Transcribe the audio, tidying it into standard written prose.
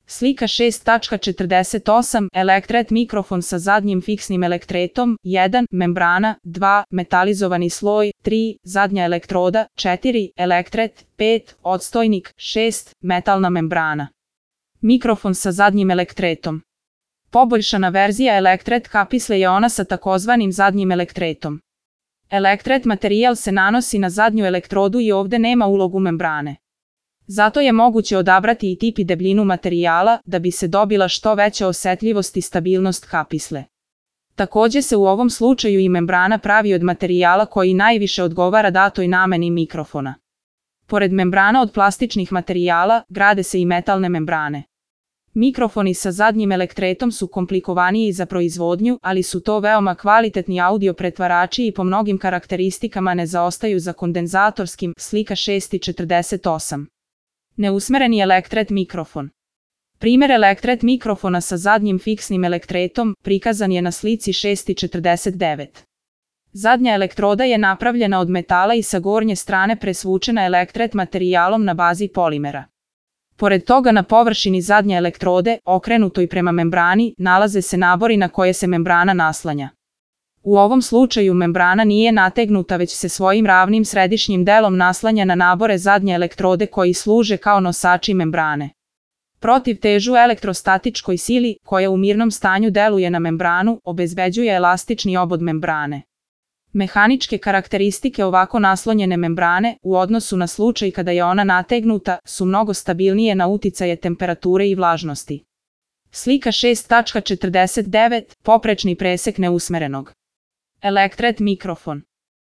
Slika 6.48 Elektret mikrofon sa zadnjim fiksnim elektretom 1. Membrana 2. Metalizovani sloj 3. Zadnja elektroda 4. Elektret 5. Odstojnik 6. Metalna membrana. Mikrofon sa zadnjim elektretom. Poboljšana verzija elektret kapisle je ona sa takozvanim zadnjim elektretom. Elektret materijal se nanosi na zadnju elektrodu i ovde nema ulogu membrane. Zato je moguće odabrati i tip i debljinu materijala da bi se dobila što veća osetljivost i stabilnost kapisle. Takođe se u ovom slučaju i membrana pravi od materijala koji najviše odgovara datoj nameni mikrofona. Pored membrana od plastičnih materijala, grade se i metalne membrane. Mikrofoni sa zadnjim elektretom su komplikovaniji za proizvodnju, ali su to veoma kvalitetni audio pretvarači i po mnogim karakteristikama ne zaostaju za kondenzatorskim, slika 6.48. Neusmereni elektret mikrofon. Primer elektret mikrofona sa zadnjim fiksnim elektretom prikazan je na slici 6.49. Zadnja elektroda je napravljena od metala i sa gornje strane presvučena elektret materijalom na bazi polimera. Pored toga na površini zadnje elektrode, okrenutoj prema membrani, nalaze se nabori na koje se membrana naslanja. U ovom slučaju membrana nije nategnuta već se svojim ravnim središnjim delom naslanja na nabore zadnje elektrode koji služe kao nosači membrane. Protiv težu elektrostatičkoj sili, koja u mirnom stanju deluje na membranu, obezbeđuje elastični obod membrane. Mehaničke karakteristike ovako naslonjene membrane, u odnosu na slučaj kada je ona nategnuta, su mnogo stabilnije na uticaje temperature i vlažnosti. Slika 6.49 Poprečni presek neusmerenog. Elektret mikrofon.